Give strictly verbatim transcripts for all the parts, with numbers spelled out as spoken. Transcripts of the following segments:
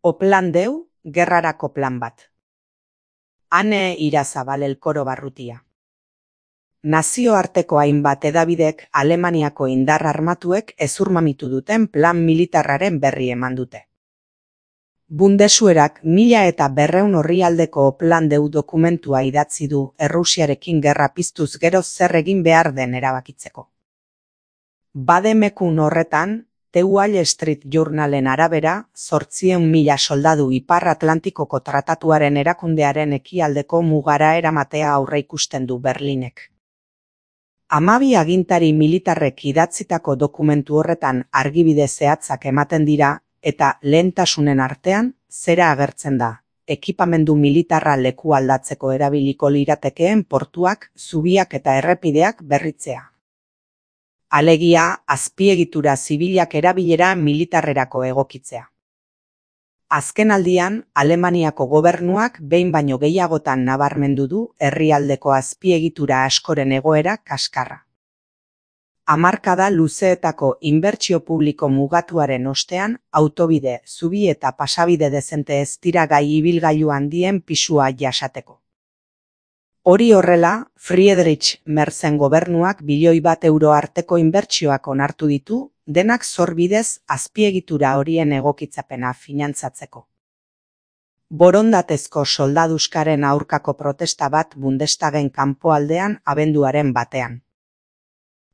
Oplan deu, gerrarako plan bat. Ane Irazabal Elkoro Barrutia. Nazioarteko hainbat hedabidek Alemaniako indar armatuek hezurmamitu duten plan militarraren berri eman dute. Bundeswerak mila eta berreun orrialdeko Oplan deu dokumentua idatzi du Errusiarekin gerra piztuz gero zer egin behar den erabakitzeko. Bademekun horretan, The Wall Street Journalen arabera, zortziehun mila soldadu Ipar Atlantikoko tratatuaren erakundearen ekialdeko mugara eramatea aurreikusten du Berlinek. Hamabi agintari militarrek idatzitako dokumentu horretan argibide zehatzak ematen dira, eta lehentasunen artean, zera agertzen da, ekipamendu militarra leku aldatzeko erabiliko liratekeen portuak, zubiak eta errepideak berritzea. Alegia, azpiegitura zibilak erabilera militarrerako egokitzea. Azkenaldian, Alemaniako gobernuak behin baino gehiagotan nabarmendu du herrialdeko azpiegitura askoren egoera kaskarra. Hamarkada luzeetako inbertsio publiko mugatuaren ostean, autobide, zubi eta pasabide dezente ez dira gai ibilgailu handien pisua jasateko. Hori horrela, Friedrich Merzen gobernuak bilioi bat euro arteko inbertsioak onartu ditu, denak zor bidez azpiegitura horien egokitzapena finantzatzeko. Borondatezko soldaduskaren aurkako protesta bat Bundestagen kanpoaldean abenduaren batean.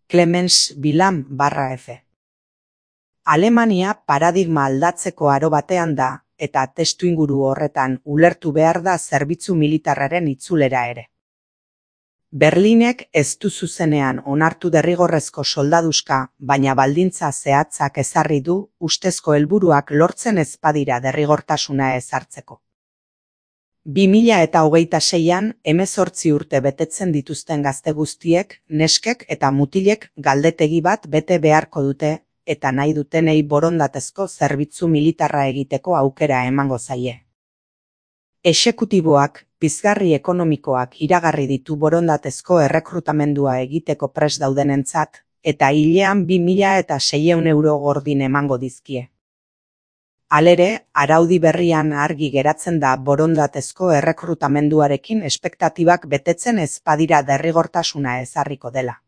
Clemens Bilam barra F. Alemania paradigma aldatzeko aro batean da, eta testuinguru horretan ulertu behar da zerbitzu militarraren itzulera ere. Berlinek ez du zuzenean onartu derrigorrezko soldaduska, baina baldintza zehatzak ezarri du ustezko helburuak lortzen ez badira derrigortasuna ezartzeko. Bi mila eta hogeita seian hemezortzi urte betetzen dituzten gazte guztiek, neskek eta mutilek galdetegi bat bete beharko dute, eta nahi dutenei borondatezko zerbitzu militarra egiteko aukera emango zaie. Exekutiboak, pizgarri ekonomikoak iragarri ditu borondatezko errekrutamendua egiteko prest daudenentzat, eta hilean bi mila eta seiehun euro gordin emango dizkie. Halere, araudi berrian argi geratzen da borondatezko errekrutamenduarekin espektatibak betetzen ez badira derrigortasuna ezarriko dela.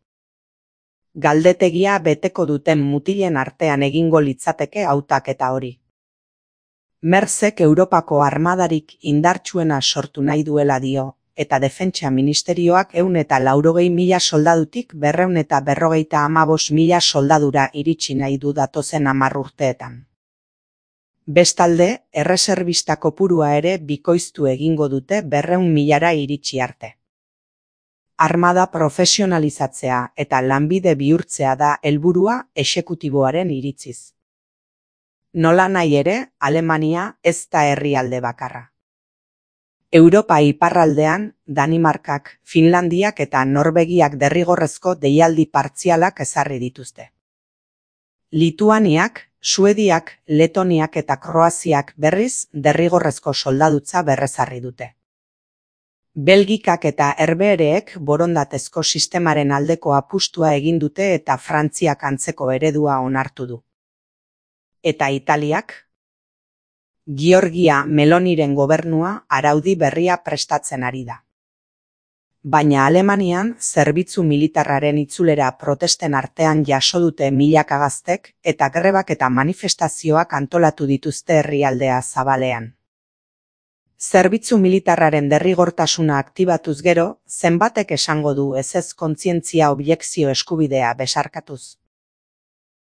Galdetegia beteko duten mutilen artean egingo litzateke hautaketa hori. Merzek Europako armadarik indartsuena sortu nahi duela dio, eta Defentsa Ministerioak ehun eta laurogei mila soldadutik berrehun eta berrogeita hamabost mila soldadura iritsi nahi du datozen hamar urteetan. Bestalde, erreserbista kopurua ere bikoiztu egingo dute berrehun milara iritsi arte. Armada profesionalizatzea eta lanbide bihurtzea da helburua exekutiboaren iritziz. Nola nahi ere, Alemania ez da herrialde bakarra. Europa iparraldean, Danimarkak, Finlandiak eta Norvegiak derrigorrezko deialdi partzialak ezarri dituzte. Lituaniak, Suediak, Letoniak eta Kroaziak berriz derrigorrezko soldadutza berrezarri dute. Belgikak eta Herbehereek borondatezko sistemaren aldeko apustua egin dute eta Frantziak antzeko eredua onartu du. Eta Italiak? Giorgia Meloniren gobernua araudi berria prestatzen ari da. Baina Alemanian zerbitzu militarraren itzulera protesten artean jaso dute milaka gaztek eta grebak eta manifestazioak antolatu dituzte herrialdea zabalean. Zerbitzu militarraren derrigortasuna aktibatuz gero, zenbatek esango du ezez kontzientzia objekzio eskubidea besarkatuz.